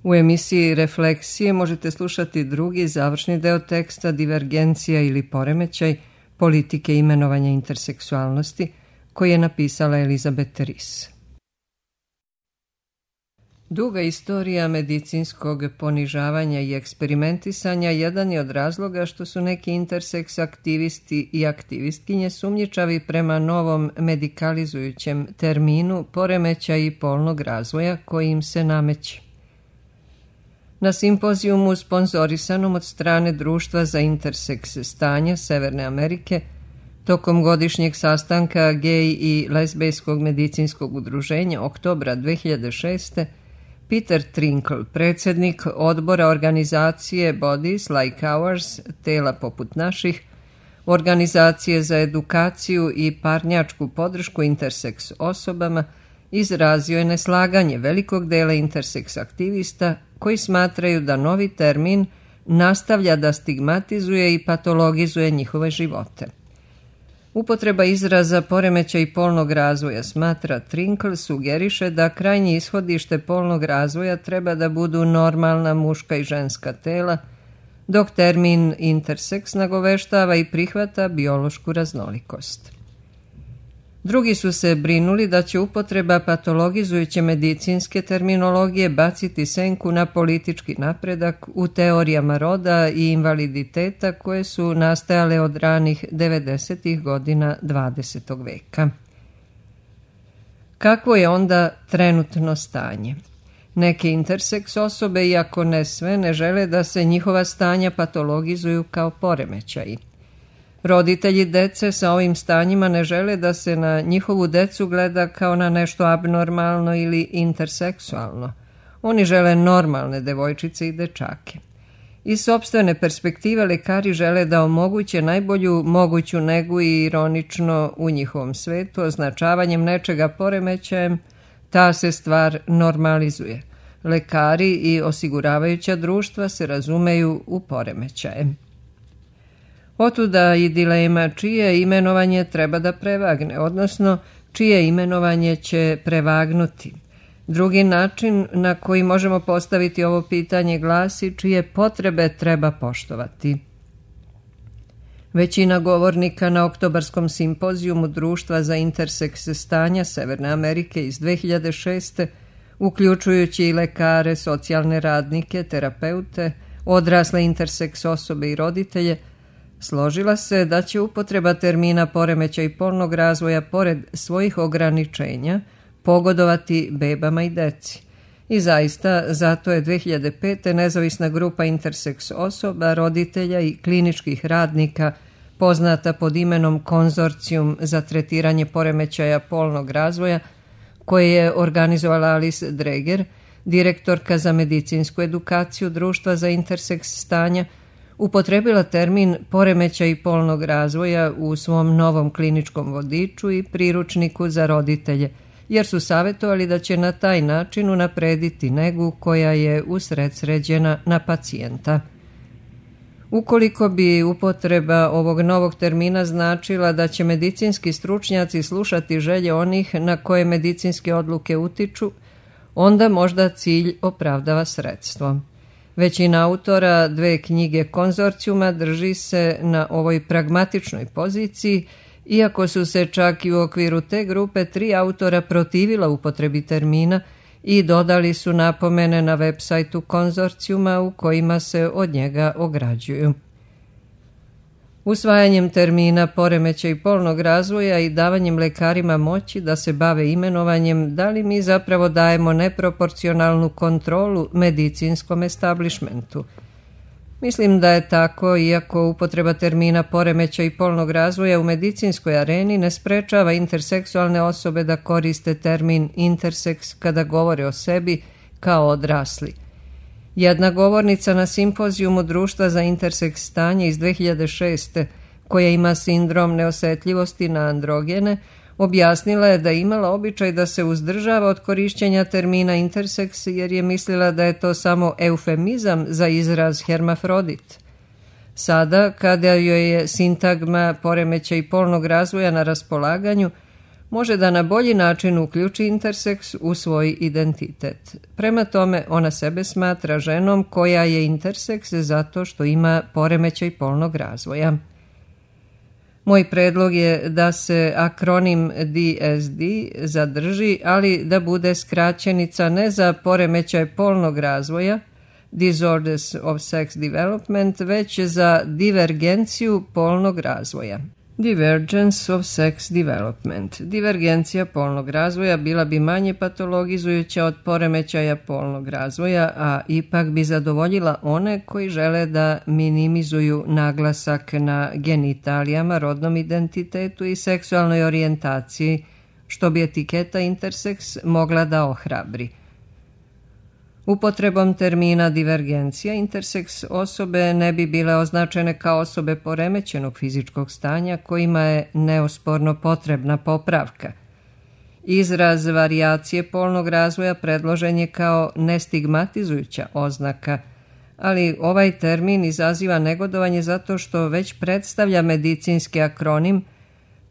U emisiji Refleksije možete slušati drugi završni deo teksta Divergencija ili poremećaj politike imenovanja interseksualnosti koji je napisala Elizabeth Ries. Duga istorija medicinskog ponižavanja i eksperimentisanja jedan je od razloga što su neki interseks aktivisti i aktivistkinje sumnjičavi prema novom medikalizujućem terminu poremećaji polnog razvoja koji im se nameće. Na simpozijumu sponzorisanom od strane Društva za interseks stanja Severne Amerike, tokom godišnjeg sastanka gej i lezbejskog medicinskog udruženja oktobra 2006. Peter Trinkle, predsjednik odbora organizacije Bodies Like Ours, tela poput naših, organizacije za edukaciju i parnjačku podršku interseks osobama, izrazio je neslaganje velikog dela interseks aktivista koji smatraju da novi termin nastavlja da stigmatizuje i patologizuje njihove živote. Upotreba izraza poremećaj polnog razvoja, smatra Trinkle, sugeriše da krajnje ishodište polnog razvoja treba da budu normalna muška i ženska tela, dok termin interseks nagoveštava i prihvata biološku raznolikost. Drugi su se brinuli da će upotreba patologizujuće medicinske terminologije baciti senku na politički napredak u teorijama roda i invaliditeta koje su nastajale od ranih 90. godina 20. veka. Kakvo je onda trenutno stanje? Neke interseks osobe, iako ne sve, ne žele da se njihova stanja patologizuju kao poremećaji. Roditelji dece sa ovim stanjima ne žele da se na njihovu decu gleda kao na nešto abnormalno ili interseksualno. Oni žele normalne devojčice i dečake. Iz sopstvene perspektive lekari žele da omoguće najbolju moguću negu i ironično u njihovom svetu označavanjem nečega poremećajem, ta se stvar normalizuje. Lekari i osiguravajuća društva se razumeju u poremećaje. Otuda i dilema čije imenovanje treba da prevagne, odnosno čije imenovanje će prevagnuti. Drugi način na koji možemo postaviti ovo pitanje glasi čije potrebe treba poštovati. Većina govornika na oktobarskom simpozijumu Društva za interseks stanja Severne Amerike iz 2006. uključujući i lekare, socijalne radnike, terapeute, odrasle interseks osobe i roditelje, složila se da će upotreba termina poremećaj polnog razvoja pored svojih ograničenja pogodovati bebama i deci. I zaista, zato je 2005. nezavisna grupa interseks osoba, roditelja i kliničkih radnika, poznata pod imenom Konzorcijum za tretiranje poremećaja polnog razvoja, koje je organizovala Alice Dreger, direktorka za medicinsku edukaciju Društva za interseks stanja, upotrebila termin poremećaj polnog razvoja u svom novom kliničkom vodiču i priručniku za roditelje, jer su savjetovali da će na taj način unaprediti negu koja je usredsređena na pacijenta. Ukoliko bi upotreba ovog novog termina značila da će medicinski stručnjaci slušati želje onih na koje medicinske odluke utiču, onda možda cilj opravdava sredstvo. Većina autora dve knjige konzorcijuma drži se na ovoj pragmatičnoj poziciji, iako su se čak i u okviru te grupe 3 autora protivila upotrebi termina i dodali su napomene na web sajtu konzorcijuma u kojima se od njega ograđuju. Usvajanjem termina poremećaj polnog razvoja i davanjem lekarima moći da se bave imenovanjem, da li mi zapravo dajemo neproporcionalnu kontrolu medicinskom establishmentu? Mislim da je tako, iako upotreba termina poremećaj polnog razvoja u medicinskoj areni ne sprečava interseksualne osobe da koriste termin interseks kada govore o sebi kao odrasli. Jedna govornica na simpozijumu Društva za interseks stanje iz 2006. koja ima sindrom neosetljivosti na androgene, objasnila je da je imala običaj da se uzdržava od korišćenja termina interseks jer je mislila da je to samo eufemizam za izraz hermafrodit. Sada, kada joj je sintagma poremećaj polnog razvoja na raspolaganju, može da na bolji način uključi interseks u svoj identitet. Prema tome, ona sebe smatra ženom koja je interseks zato što ima poremećaj polnog razvoja. Moj predlog je da se akronim DSD zadrži, ali da bude skraćenica ne za poremećaj polnog razvoja, Disorders of Sex Development, već za divergenciju polnog razvoja. Divergence of Sex Development. Divergencija polnog razvoja bila bi manje patologizujuća od poremećaja polnog razvoja, a ipak bi zadovoljila one koji žele da minimizuju naglasak na genitalijama, rodnom identitetu i seksualnoj orijentaciji, što bi etiketa interseks mogla da ohrabri. Upotrebom termina divergencija interseks osobe ne bi bile označene kao osobe poremećenog fizičkog stanja kojima je neosporno potrebna popravka. Izraz varijacije polnog razvoja predložen je kao nestigmatizujuća oznaka, ali ovaj termin izaziva negodovanje zato što već predstavlja medicinski akronim.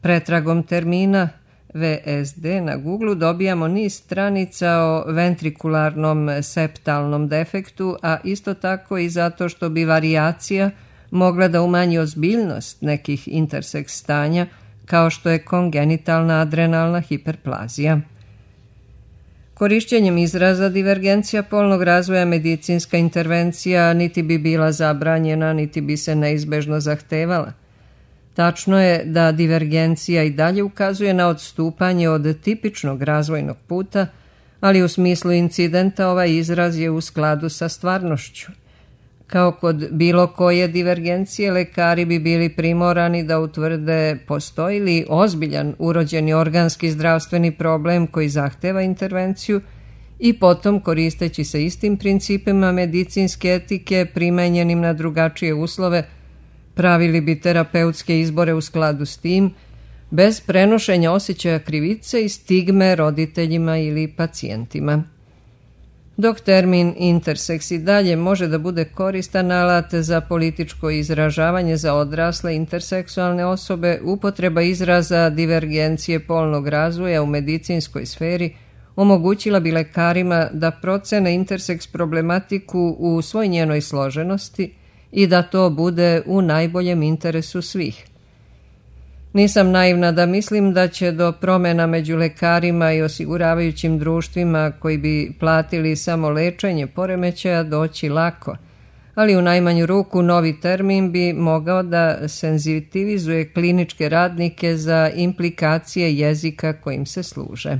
Pretragom termina VSD na Google dobijamo niz stranica o ventrikularnom septalnom defektu, a isto tako i zato što bi varijacija mogla da umanji ozbiljnost nekih interseks stanja, kao što je kongenitalna adrenalna hiperplazija. Korišćenjem izraza divergencija polnog razvoja medicinska intervencija niti bi bila zabranjena, niti bi se neizbežno zahtevala. Tačno je da divergencija i dalje ukazuje na odstupanje od tipičnog razvojnog puta, ali u smislu incidenta ovaj izraz je u skladu sa stvarnošću. Kao kod bilo koje divergencije, lekari bi bili primorani da utvrde postoji li ozbiljan urođeni organski zdravstveni problem koji zahteva intervenciju i potom, koristeći se istim principima medicinske etike primenjenim na drugačije uslove, pravili bi terapeutske izbore u skladu s tim, bez prenošenja osjećaja krivice i stigme roditeljima ili pacijentima. Dok termin interseks i dalje može da bude koristan alat za političko izražavanje za odrasle interseksualne osobe, upotreba izraza divergencije polnog razvoja u medicinskoj sferi omogućila bi lekarima da procene interseks problematiku u svoj njenoj složenosti i da to bude u najboljem interesu svih. Nisam naivna da mislim da će do promjena među lekarima i osiguravajućim društvima koji bi platili samo lečenje poremećaja doći lako, ali u najmanju ruku novi termin bi mogao da senzitivizuje kliničke radnike za implikacije jezika kojim se služe.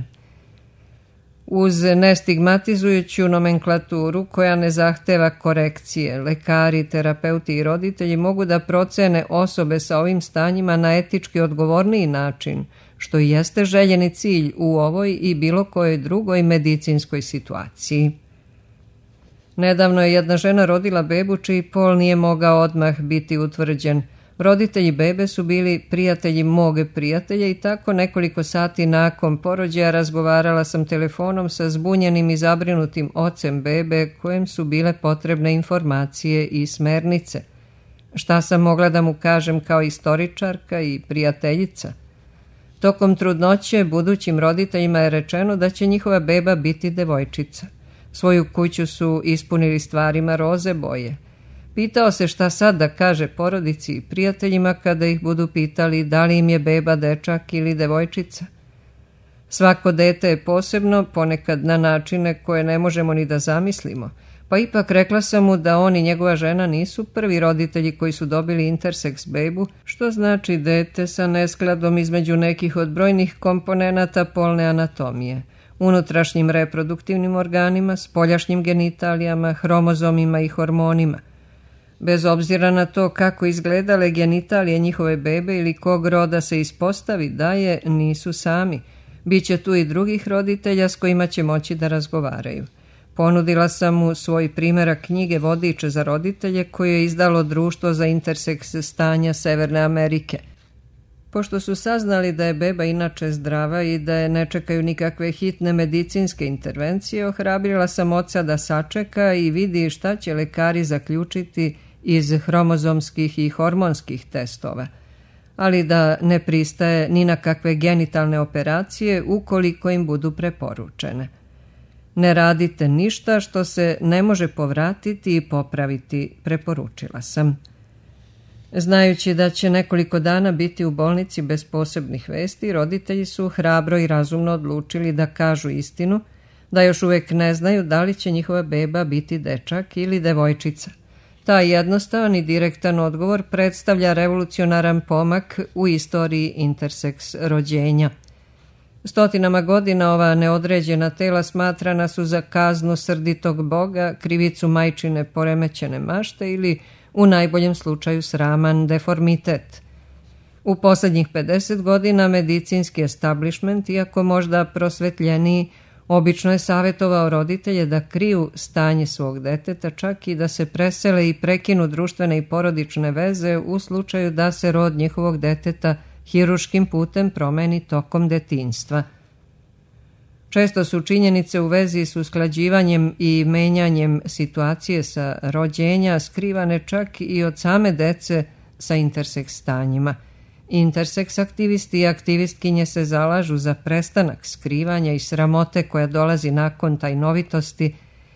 Uz nestigmatizujuću nomenklaturu koja ne zahteva korekcije, lekari, terapeuti i roditelji mogu da procene osobe sa ovim stanjima na etički odgovorniji način, što i jeste željeni cilj u ovoj i bilo kojoj drugoj medicinskoj situaciji. Nedavno je jedna žena rodila bebu čiji pol nije mogao odmah biti utvrđen. Roditelji bebe su bili prijatelji mog prijatelja i tako nekoliko sati nakon porođaja razgovarala sam telefonom sa zbunjenim i zabrinutim ocem bebe kojem su bile potrebne informacije i smernice. Šta sam mogla da mu kažem kao istoričarka i prijateljica? Tokom trudnoće budućim roditeljima je rečeno da će njihova beba biti devojčica. Svoju kuću su ispunili stvarima roze boje. Pitao se šta sad da kaže porodici i prijateljima kada ih budu pitali da li im je beba dečak ili devojčica. Svako dete je posebno, ponekad na načine koje ne možemo ni da zamislimo, pa ipak rekla sam mu da on i njegova žena nisu prvi roditelji koji su dobili interseks bebu, što znači dete sa neskladom između nekih od brojnih komponenata polne anatomije, unutrašnjim reproduktivnim organima, spoljašnjim genitalijama, hromozomima i hormonima. Bez obzira na to kako izgledale genitalije njihove bebe ili kog roda se ispostavi da je, nisu sami. Biće tu i drugih roditelja s kojima će moći da razgovaraju. Ponudila sam mu svoj primjerak knjige Vodiče za roditelje koje je izdalo Društvo za interseks stanja Severne Amerike. Pošto su saznali da je beba inače zdrava i da je ne čekaju nikakve hitne medicinske intervencije, ohrabrila sam oca da sačeka i vidi šta će lekari zaključiti iz hromozomskih i hormonskih testova. ali da ne pristaje ni na kakve genitalne operacije ukoliko im budu preporučene. Ne radite ništa što se ne može povratiti i popraviti, preporučila sam. Znajući da će nekoliko dana biti u bolnici bez posebnih vesti, roditelji su hrabro i razumno odlučili da kažu istinu, da još uvijek ne znaju da li će njihova beba biti dečak ili devojčica. Taj jednostavan i direktan odgovor predstavlja revolucionaran pomak u istoriji interseks rođenja. Stotinama godina ova neodređena tela smatrana su za kaznu srditog Boga, krivicu majčine poremećene mašte ili u najboljem slučaju sraman deformitet. U posljednjih 50 godina medicinski establishment, iako možda prosvetljeniji, obično je savjetovao roditelje da kriju stanje svog deteta, čak i da se presele i prekinu društvene i porodične veze u slučaju da se rod njihovog deteta hiruškim putem promeni tokom detinjstva. Često su činjenice u vezi s usklađivanjem i menjanjem situacije sa rođenja skrivane čak i od same dece sa interseks stanjima. Interseks aktivisti i aktivistkinje se zalažu za prestanak skrivanja i sramote koja dolazi nakon tajnovitosti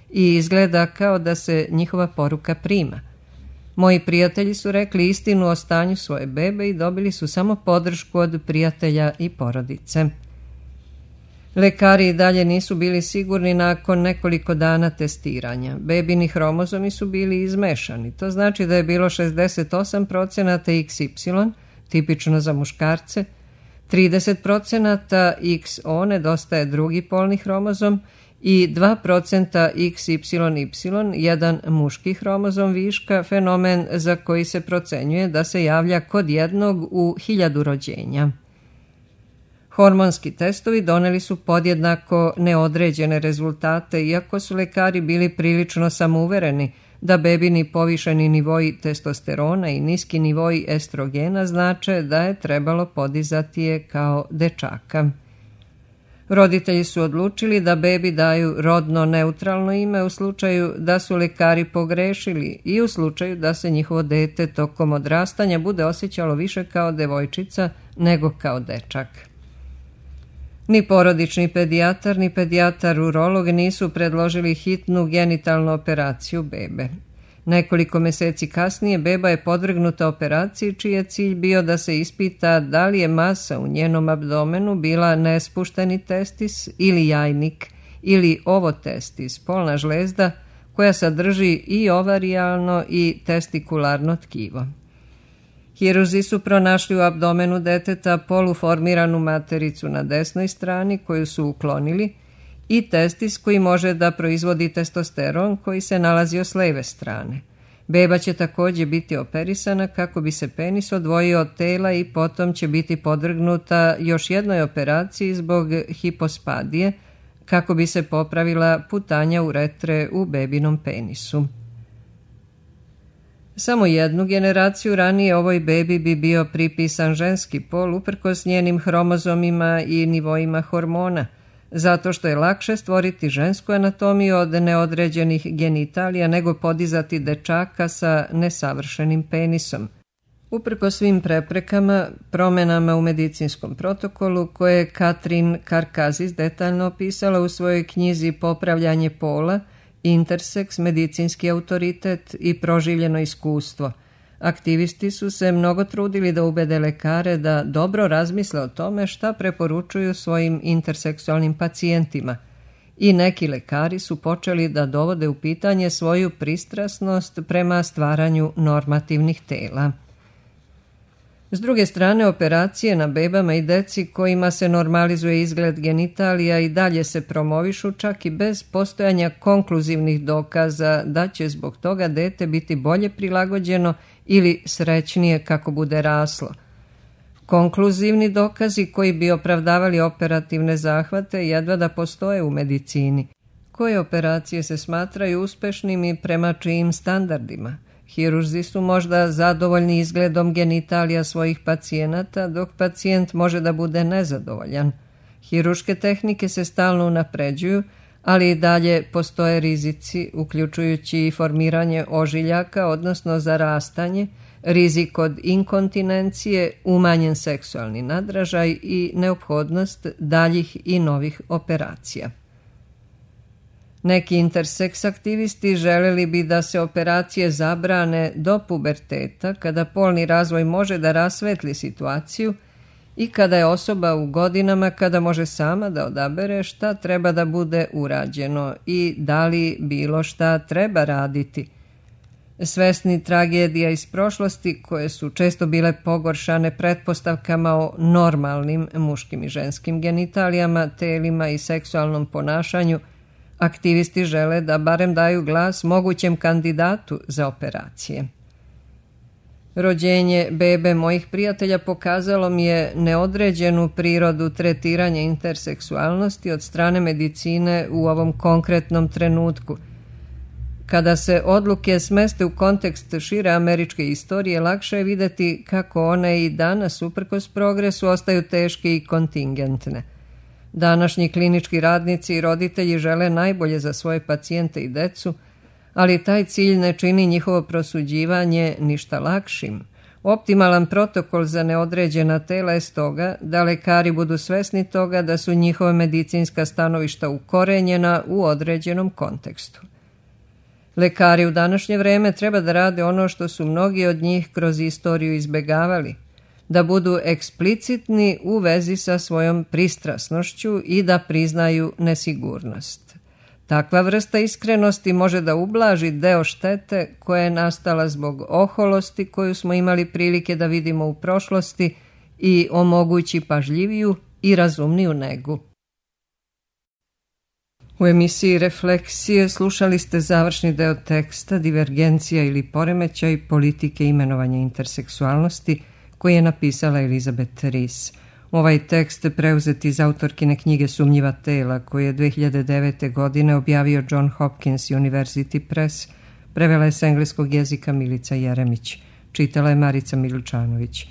i izgleda kao da se njihova poruka prima. Moji prijatelji su rekli istinu o stanju svoje bebe i dobili su samo podršku od prijatelja i porodice. Lekari i dalje nisu bili sigurni nakon nekoliko dana testiranja. Bebini hromozomi su bili izmešani. To znači da je bilo 68% XY, tipično za muškarce, 30% XO, nedostaje drugi polni hromozom, i 2% XYY, jedan muški hromozom viška, fenomen za koji se procenjuje da se javlja kod jednog u 1000 rođenja. Hormonski testovi doneli su podjednako neodređene rezultate, iako su lekari bili prilično samouvereni da bebini povišeni nivoji testosterona i niski nivoji estrogena znače da je trebalo podizati je kao dečaka. Roditelji su odlučili da bebi daju rodno neutralno ime u slučaju da su lekari pogrešili i u slučaju da se njihovo dete tokom odrastanja bude osjećalo više kao devojčica nego kao dečak. Ni porodični pedijatar, ni pedijatar urolog nisu predložili hitnu genitalnu operaciju bebe. Nekoliko mjeseci kasnije beba je podvrgnuta operaciji čiji je cilj bio da se ispita da li je masa u njenom abdomenu bila nespušteni testis ili jajnik ili ovotestis, polna žlezda koja sadrži i ovarijalno i testikularno tkivo. Hirurzi su pronašli u abdomenu deteta poluformiranu matericu na desnoj strani koju su uklonili i testis koji može da proizvodi testosteron koji se nalazio s lijeve strane. Beba će također biti operisana kako bi se penis odvojio od tela i potom će biti podvrgnuta još jednoj operaciji zbog hipospadije kako bi se popravila putanja uretre u bebinom penisu. Samo jednu generaciju ranije ovoj bebi bi bio pripisan ženski pol uprkos njenim hromozomima i nivoima hormona, zato što je lakše stvoriti žensku anatomiju od neodređenih genitalija nego podizati dečaka sa nesavršenim penisom. Uprkos svim preprekama, promjenama u medicinskom protokolu koje je Katrin Karkazis detaljno opisala u svojoj knjizi Popravljanje pola, interseks, medicinski autoritet i proživljeno iskustvo, aktivisti su se mnogo trudili da ubede lekare da dobro razmisle o tome šta preporučuju svojim interseksualnim pacijentima i neki lekari su počeli da dovode u pitanje svoju pristrasnost prema stvaranju normativnih tela. S druge strane, operacije na bebama i deci kojima se normalizuje izgled genitalija i dalje se promovišu čak i bez postojanja konkluzivnih dokaza da će zbog toga dete biti bolje prilagođeno ili srećnije kako bude raslo. Konkluzivni dokazi koji bi opravdavali operativne zahvate jedva da postoje u medicini. Koje operacije se smatraju uspešnim i prema čijim standardima? Hirurzi su možda zadovoljni izgledom genitalija svojih pacijenata, dok pacijent može da bude nezadovoljan. Hiruške tehnike se stalno unapređuju, ali i dalje postoje rizici, uključujući i formiranje ožiljaka, odnosno zarastanje, rizik od inkontinencije, umanjen seksualni nadražaj i neophodnost daljih i novih operacija. Neki interseks aktivisti želeli bi da se operacije zabrane do puberteta, kada polni razvoj može da rasvetli situaciju i kada je osoba u godinama kada može sama da odabere šta treba da bude urađeno i da li bilo šta treba raditi. Svesni tragedija iz prošlosti, koje su često bile pogoršane pretpostavkama o normalnim muškim i ženskim genitalijama, telima i seksualnom ponašanju, aktivisti žele da barem daju glas mogućem kandidatu za operacije. Rođenje bebe mojih prijatelja pokazalo mi je neodređenu prirodu tretiranja interseksualnosti od strane medicine u ovom konkretnom trenutku. Kada se odluke smeste u kontekst šire američke istorije, lakše je videti kako one i danas, uprkos progresu, ostaju teške i kontingentne. Današnji klinički radnici i roditelji žele najbolje za svoje pacijente i decu, ali taj cilj ne čini njihovo prosuđivanje ništa lakšim. Optimalan protokol za neodređena tela je stoga da lekari budu svesni toga da su njihova medicinska stanovišta ukorenjena u određenom kontekstu. Lekari u današnje vreme treba da rade ono što su mnogi od njih kroz istoriju izbegavali, da budu eksplicitni u vezi sa svojom pristrasnošću i da priznaju nesigurnost. Takva vrsta iskrenosti može da ublaži deo štete koja je nastala zbog oholosti koju smo imali prilike da vidimo u prošlosti i omogući pažljiviju i razumniju negu. U emisiji Refleksije slušali ste završni deo teksta Divergencija ili poremećaj politike imenovanja interseksualnosti koji je napisala Elizabeth Rees. Ovaj tekst preuzet iz autorkine knjige Sumnjiva tela, koju je 2009. godine objavio John Hopkins University Press, prevela je s engleskog jezika Milica Jeremić. Čitala je Marica Milučanović.